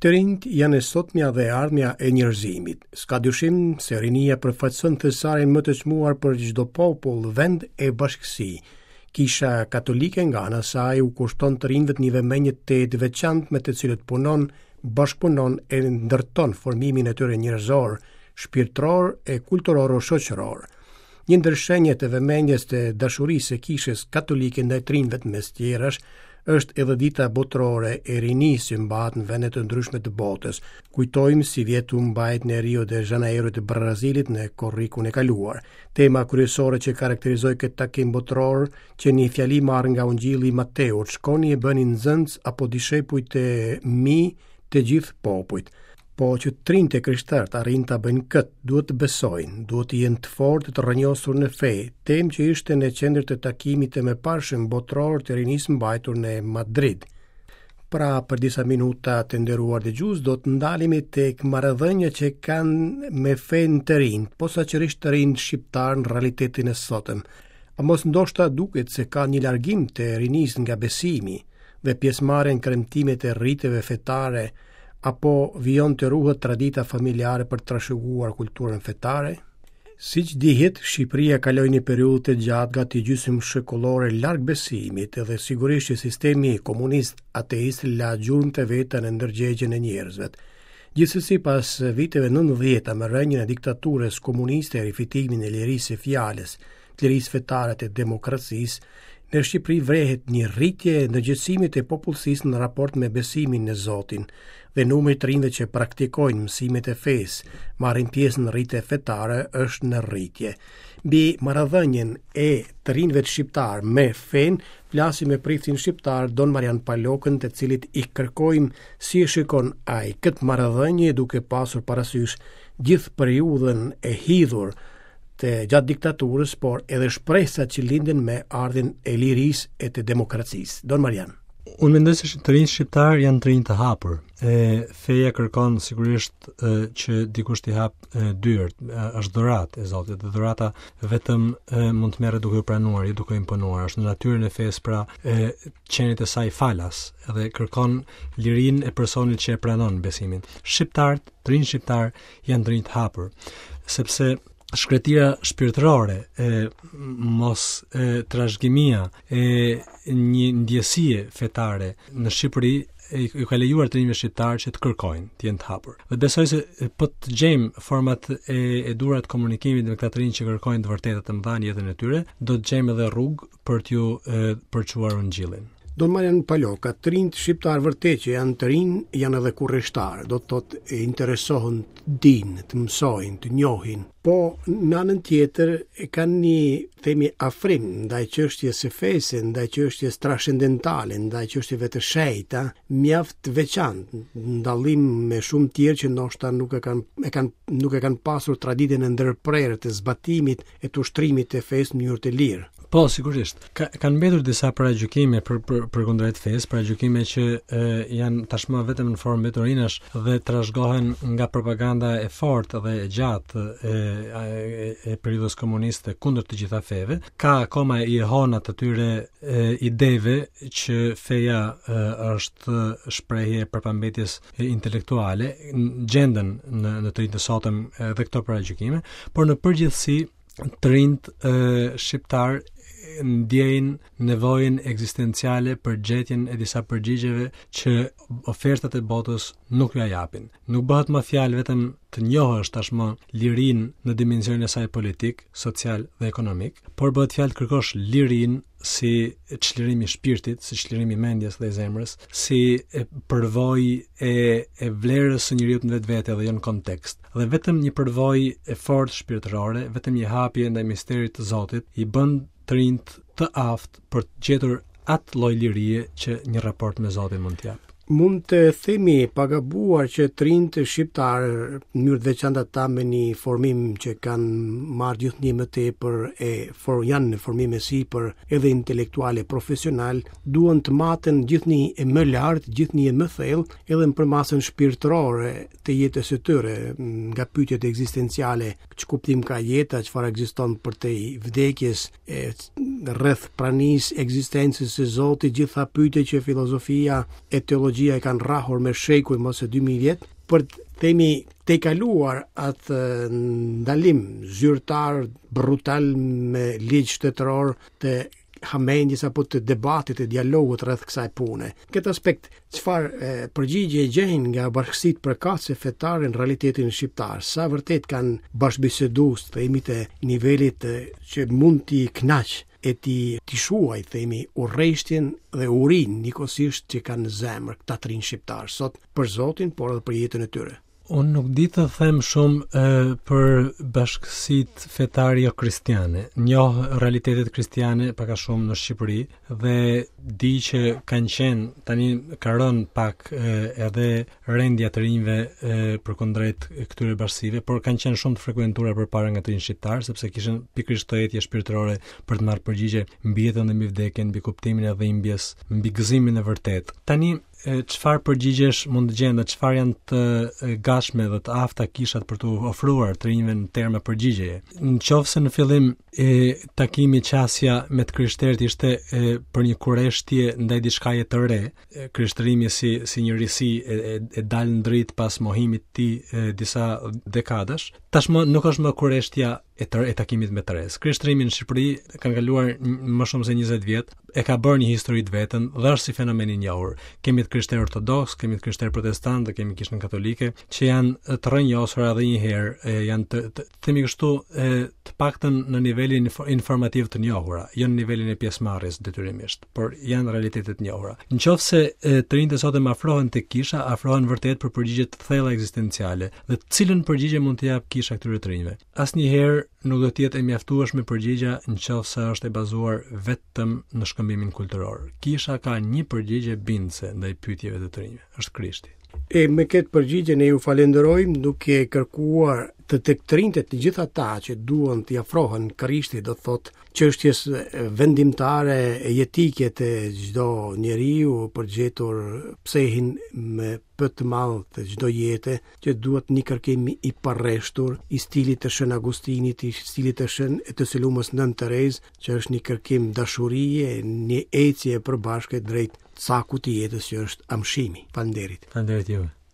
Të rinjtë janë e sotmja dhe e ardhmja e njerëzimit. S'ka dyshim se rinia përfaqëson thesarin më të çmuar për çdo popull, vend e bashkësi. Kisha Katolike nga ana e saj u kushton të rinjve një vëmendje të të veçantë me të cilët punon, bashkëpunon e ndërton formimin e tyre njerëzor, shpirtëror e kulturoro-shoqëror. Një ndër shenjat e vëmendjes të dashurisë së Kishës Katolike ndaj të rinjve mes tjerash është edhe dita botërore e rinisë që mbahet në vende të ndryshme të botës. Kujtojmë sivjet u mbajt në Rio de Janeiro të Brazilit në korrikun e kaluar. Tema kryesore që karakterizoi këtë takim botëror qe një fjali marrë nga Ungjilli i Mateut, shkoni e bëni nxënës apo dishepuj të mi të gjithë popujt. Po që të rinjtë e krishterë të arrijnë ta bëjnë këtë, duhet të besojnë, duhet të jenë të fortë të rrënjosur në fe, temë që ishte në qendër të takimit të mëparshëm botëror të rinisë mbajtur në Madrid. Pra, për disa minuta të nderuar dëgjues, do të ndalemi tek marrëdhënia që kanë me fenë të rinjtë, posaçërisht të rinjtë shqiptarë në realitetin e sotëm. A mos ndoshta duket se ka një largim të rinisë nga besimi dhe pjesëmarrja në kremtimet e riteve fetare, apo vijon të ruhet tradita familjare për të trashëguar kulturën fetare? Siç dihet, Shqipëria kaloi një periudhë të gjatë gati gjysmë shekullore larg besimit dhe sigurisht që sistemi komunist ateist la gjurmët e veta në ndërgjegjen e njerëzve. Gjithsesi pas viteve 90-ta me rënien e diktaturës komuniste e rifitimin e lirisë së fjalës, të lirisë fetare të demokracisë, në Shqipëri vërehet një rritje e ndërgjegjësimit të popullsisë në raport me besimin në Zotin dhe numri i të rinjve që praktikojnë mësimet e fesë, marrin pjesë në rite fetare është në rritje. Mbi marrëdhënien e të rinjve shqiptarë me fenë, flasim me priftin shqiptar Don Marian Palokën, të cilit i kërkojmë si e shikon ai këtë marrëdhënie duke pasur parasysh gjithë periudhën e hidhur të gjatë diktaturës, por edhe shpresat që lindën me ardhjen e lirisë e të demokracisë. Don Marian. Unë mendoj se të rinjtë shqiptarë janë të rinj të hapur. E feja kërkon sigurisht e, që dikush t'i hap e, dyert, është dhuratë e Zotit dhe dhurata vetëm e, mund të merret duke u pranuar, jo duke u imponuar. Është në natyrën e fesë pra e qenit e saj falas dhe kërkon lirinë e personit që e pranon besimin. Shqiptarët, të rinjtë shqiptarë janë të rinj të hapur, sepse shkretira shpirtërore e mos e trashëgimia e një ndjesie fetare në Shqipëri ju ka lejuar të rinjve shqiptarë që të kërkojnë, të jenë të hapur. Dhe besoj se po të gjejmë format e, e duhura të komunikimit me këta të rinj që kërkojnë të vërteta të mëdha në jetën e tyre, do të gjejmë edhe rrugë për t'ju përçuar ungjillin. Don Marian Paloka, të rinjtë shqiptarë vërtet që janë të rinj, janë edhe kurreshtarë, do të thotë e interesohen të dinë, të mësojnë, të njohin. Po në anën tjetër e kanë një themi afrim ndaj çështjes së fesë, ndaj çështjes transcendentale, ndaj çështjeve të shenjta, mjaft të veçantë, në dallim me shumë tjerë që ndoshta nuk e kanë e kanë nuk e kanë pasur traditën e ndërprerë të zbatimit e të ushtrimit të fesë në mënyrë të lirë. Po, sigurisht. Ka, kanë mbetur disa paragjykime për për përkundrejt fesë, paragjykime që e, janë tashmë vetëm në formë mbeturinash dhe trashëgohen nga propaganda e fortë dhe e gjatë e, e, e periudhës komuniste kundër të gjitha feve. Ka akoma jehona të atyre e, ideve që feja e, është shprehje e prapambetjes intelektuale, gjenden në në të rinjtë e sotëm edhe këto paragjykime, por në përgjithësi të rinjtë shqiptarë ndjejnë nevojën ekzistenciale për gjetjen e disa përgjigjeve që ofertat e botës nuk ua japin. Nuk bëhet më fjalë vetëm të njohësh tashmë lirinë në dimensionin e saj politik, social dhe ekonomik, por bëhet fjalë të kërkosh lirinë si çlirim i shpirtit, si çlirim i mendjes dhe i zemrës, si e përvojë e e vlerës së njeriut në vetvete dhe jo në kontekst. Dhe vetëm një përvojë e fortë shpirtërore, vetëm një hapje ndaj misterit të Zotit i bën të rinjtë të aftë për të gjetur atë lloj lirie që një raport me Zotin mund të japë. Mund të themi pa gabuar që të rinjtë shqiptarë, në mënyrë të veçantë ata me një formim që kanë marrë gjithnjë më tepër e for, janë në formim e sipër edhe intelektual e profesional, duan të maten gjithnjë e më lart, gjithnjë e më thellë, edhe në përmasën shpirtërore të jetës së tyre, nga pyetjet ekzistenciale, ç'kuptim ka jeta, çfarë ekziston përtej vdekjes, e rreth pranisë ekzistencës së Zotit, gjitha pyetje që filozofia e teologjia. teologjia e kanë rrahur me shekuj mos e 2000 vjet, për të themi tejkaluar atë ndalim zyrtar brutal me ligj shtetëror të hamendjes apo të debatit e dialogut rreth kësaj pune. Këtë aspekt, çfarë përgjigje gjejnë nga bashkësitë përkatëse fetare në realitetin shqiptar? Sa vërtet kanë bashkëbisedues, themi të nivelit që mund t'i kënaq e t'i t'i shuaj, themi, urreshtjen dhe urinë njëkohësisht që kanë në zemër këta të rinj shqiptarë sot për Zotin, por edhe për jetën e tyre. Unë nuk di të them shumë e, për bashkësitë fetare jo kristiane. Njoh realitetet kristiane pak a shumë në Shqipëri dhe di që kanë qenë tani ka rënë pak e, edhe rendja e të rinjve e, përkundrejt këtyre bashkësive, por kanë qenë shumë të frekuentuara përpara nga të rinj shqiptarë sepse kishin pikërisht këtë etje shpirtërore për të marrë përgjigje mbi jetën dhe mbi vdekjen, mbi kuptimin e dhimbjes, mbi gëzimin e vërtetë. Tani çfarë përgjigjesh mund të gjenden dhe çfarë janë të gatshme dhe të afta kishat për t'u ofruar të rinjve në terma përgjigjeje. Në qoftë se në fillim e takimi qasja me të krishterët ishte e, për një kureshtje ndaj diçkaje të re, krishtërimi si si një risi e, e, e dalë në dritë pas mohimit të tij e, disa dekadash, tashmë nuk është më kureshtja e të, e takimit me të resë. Krishtërimi në Shqipëri kanë kaluar më shumë se 20 vjet, e ka bërë një histori të vetën dhe është si fenomen i njohur. Kemi të krishterë ortodoks, kemi të krishterë protestant dhe kemi kishën katolike që janë të rrënjosura edhe një herë, e, janë të, të themi kështu, e, të paktën në nivelin informativ të njohura, jo në nivelin e pjesëmarrjes detyrimisht, por janë realitete të njohura. Në qoftë se të rinjtë e sotëm afrohen tek kisha, afrohen vërtet për përgjigje të thella ekzistenciale dhe cilën përgjigje mund të japë kisha këtyre të rinjve. Asnjëherë nuk do të jetë e mjaftueshme përgjigja në qoftë se është e bazuar vetëm në shkëmbimin kulturor. Kisha ka një përgjigje bindëse ndaj pyetjeve të të rinjve, është Krishti. E me këtë përgjigje ne ju falenderojmë duke kërkuar të tek të rinjtë të gjithë ata që duan t'i afrohen Krishtit, do të thotë çështjes vendimtare e jetike të çdo njeriu për gjetur psehin me P të madh të çdo jete, që duhet një kërkim i parreshtur i stilit të Shën Agustinit, i stilit të Shën e të së Lumës Nënë Terezë, që është një kërkim dashurie, një ecje e përbashkët drejt cakut të jetës që është amshimi. Faleminderit. Faleminderit juve.